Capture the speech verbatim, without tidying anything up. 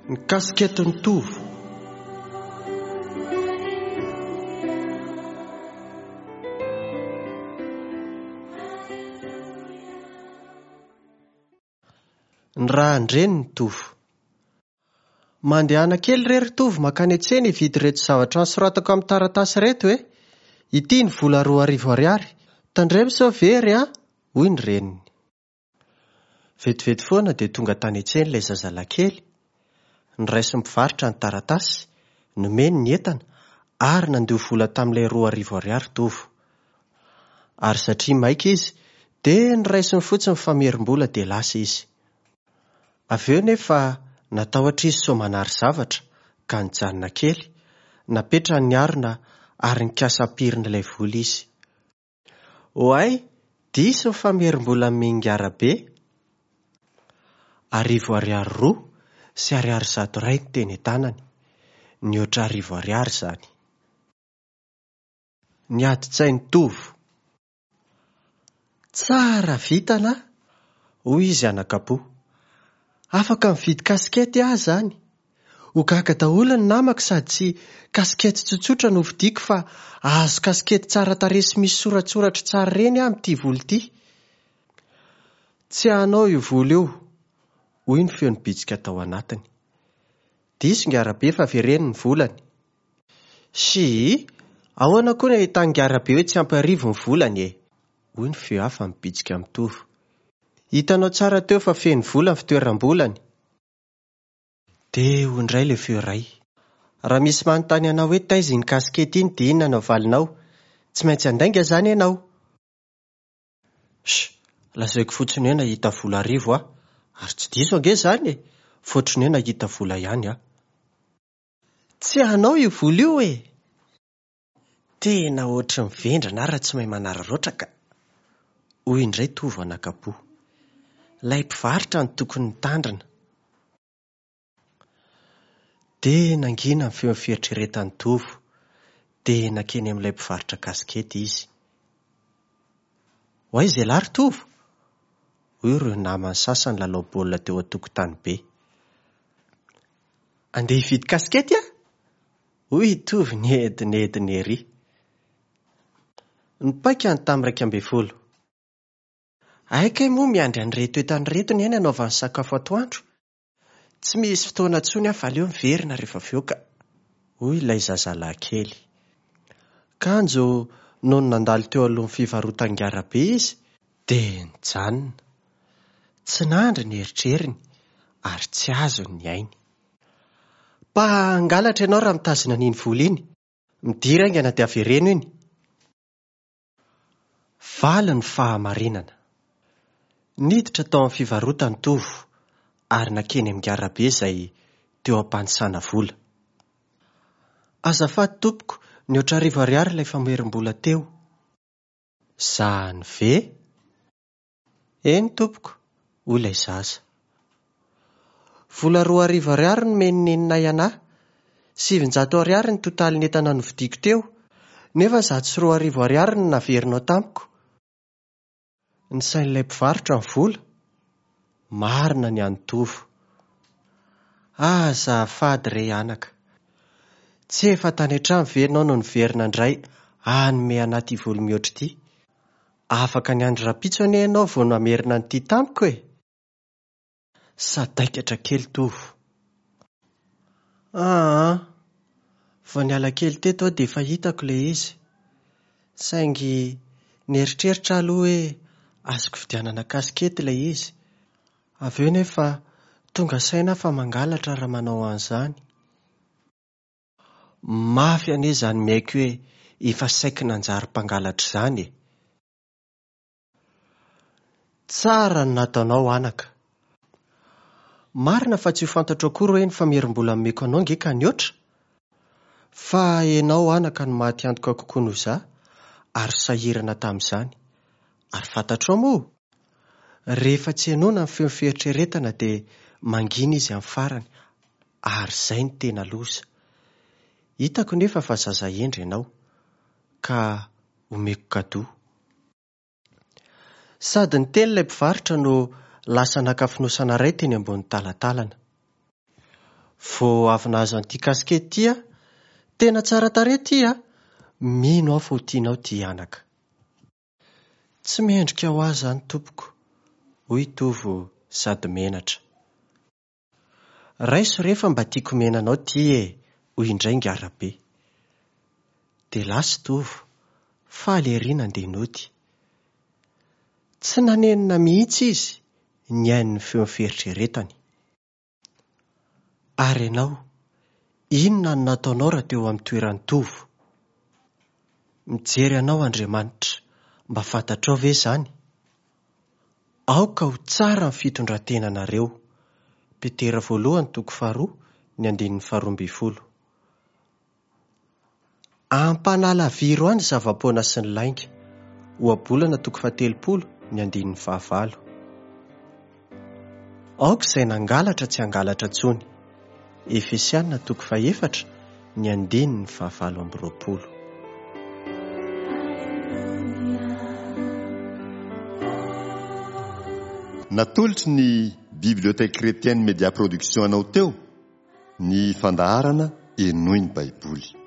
Ny kasiketin'i Tovo. Ny rahan-dreniny Tovo. Mandehana kely re ry Tovo mankany an-tsena hividy ireto zavatra nosoratako amin'ny taratasy ireto e. Ity ny vola roa arivo ariary. Tandremo sao very a, hoy ny reniny. Vetivety foana dia tonga tany an-tsena ilay zazalahy kely. Noraisin'ny mpivarotra ny taratasy, nomeny ny entana ary nandoa vola tamin'ilay roa arivo ariary Tovo. Ary satria maika izy dia noraisiny fotsiny ny famerim-bola dia lasa izy. Avy eo nefa natahotra izy sao manary zavatra ka nijanona kely, napetrany ny harona ary nikasa hampirina ilay vola izy. Oay, diso ny famerim-bola nomen'Ingarabe. Arivo ariary roa sy ariary zato iray ny teny an-tanany. Nihoatra arivo ariary izany. Ny adin-tsain'i Tovo. Tsara vintana aho, hoy izy anakapo. Afaka mividy kasikety aho izany. Ho gaga daholo ny namako sady tsy kasikety tsotsotra no vidiako fa ahazo kasikety tsara tarehy sy misy soratsoratra tsara ireny aho amin'ity vola ity. Tsy anao io vola io, hoy ny feo nibitsika tao anatiny. Diso Ingarabe fa avereno ny volany. Sy, ahoana koa ny ahitan'i Ingarabe hoe tsy ampy arivo ny volany e? Hoy ny feo hafa nibitsika mitovy. Hitanao tsara teo fa feno vola ny fitoeram-bolany. Dia hoy indray ilay feo iray. Raha misy manontany anao hoe taiza iny kasikety iny dia inona no avalinao? Tsy maintsy handainga izany ianao. Sh, lazaiko fotsiny hoe nahita vola arivo aho. Ary tsy diso ange izany e, fa ohatran'ny hoe nahita vola ihany aho. Tsy anao io vola io e! Tena ohatry ny vendrana aho raha tsy mahay manararaotra ka! Hoy indray Tovo anakapo. Ilay mpivarotra no tokony nitandrina. Dia nangina ny feon'ny fieritreretan'i Tovo. Dia nankeny amin'ilay mpivarotra kasikety izy. Ho aiza ialahy ry Tovo? Hoy ireo namany sasany lalao baolina teo an-tokotany be. Andeha hividy kasikety aho? Hoy i Tovo niedinedina ery. Nipaika ny tamin'ny iraika ambin'ny folo. Hay kay moa miandry an'ireto entana ireto ny ainy hanaovany sakafo atoandro. Tsy misy fotoana intsony aho fa aleo miverina rehefa avy eo ka, hoy ilay zazalahy kely. Kanjo nony nandalo teo alohan'ny fivarotan-Ingarabe izy dia nijanona. Tsy nandry ny eritreriny ary tsy azony ny ainy. Mpangalatra ianao raha mitazona an'iny vola iny. Midira haingana dia avereno iny. Valy ny fahamarinana. Niditra tao amin'ny fivarotany Tovo ary nankeny amin'Ingarabe izay teo am-panisana vola. Azafady tompoko, nihoatra arivo ariary ilay famerim-bola teo. Zany ve? Eny tompoko, hoy ilay zaza. Vola roa arivo ariary no nomen'i neninay anahy. Sivinjato ariary ny totalin'ny entana novidiako teo, nefa zato sy roa arivo ariary no naverinao tamiko. Nisain'ilay mpivarotra ny vola. Marina ny an'i Tovo. Azafady re anaka. Tsy efa tany an-trano ve ianao no niverina indray hanome anahy ity vola mihoatra ity? Afaka niandry rahampitso anie ianao vao namerina an'ity tamiko e! Sadaikatra kely Tovo. Aa, vao niala kely teto aho dia efa hitako ilay izy. Saingy nieritreritra aloha hoe azoko vidianana kasikety ilay izy. Avy eo nefa tonga saina aho fa mangalatra raha manao an'izany. Mafy anie izany miaiky hoe efa saiky nanjary mpangalatra izany e! Tsara ny nataonao anaka. Marina fa tsy ho fantatro akory hoe ny famerim-bola nomeko anao nge ka nihoatra. Fa ianao anaka no maty antoka kokoa noho izaho ary sahirana tamin'izany. Ary fantatrao moa? Rehefa tsy henoina ny feon'ny fieritreretana dia mangina izy amin'ny farany ary izay no tena loza. Hitako nefa fa zaza hendry ianao ka omeko kadoa. Sady niteny ilay mpivarotra no lasa naka fonosana iray teny ambony talatalana. Vao avy nahazo an'ity kasikety ity aho. Tena tsara tarehy ity a! Mino aho fa ho tianao ity anaka. Tsy mendrika ho ahy izany tompoko, hoy Tovo sady menatra. Raiso re fa mba tiako omena anao ity e, hoy indray Ngarabe. Dia lasa i Tovo, faly ery nandeha nody. Tsy nanenina mihitsy izy nihaino ny feon'ny fieritreretany. Ary ianao, inona no nataonao raha teo amin'ny toeran'i Tovo? Mijery anao Andriamanitra, mba fantatrao ve izany? Aoka ho tsara ny fitondran-tenanareo. Petera voalohany toko faharoa, ny andininy faharoa ambin'ny folo. Ampanalaviro ahy ny zava-poana sy ny lainga. Ohabolana toko fahatelopolo, ny andininy fahavalo. Aoka izay nangalatra tsy hangalatra intsony. Efesiana toko fahefatra, ny andininy fahavalo amby roapolo. Natolotry ny Bibliothèque Chrétienne Média Production anao teo ny fandaharana Henoy ny Baiboly.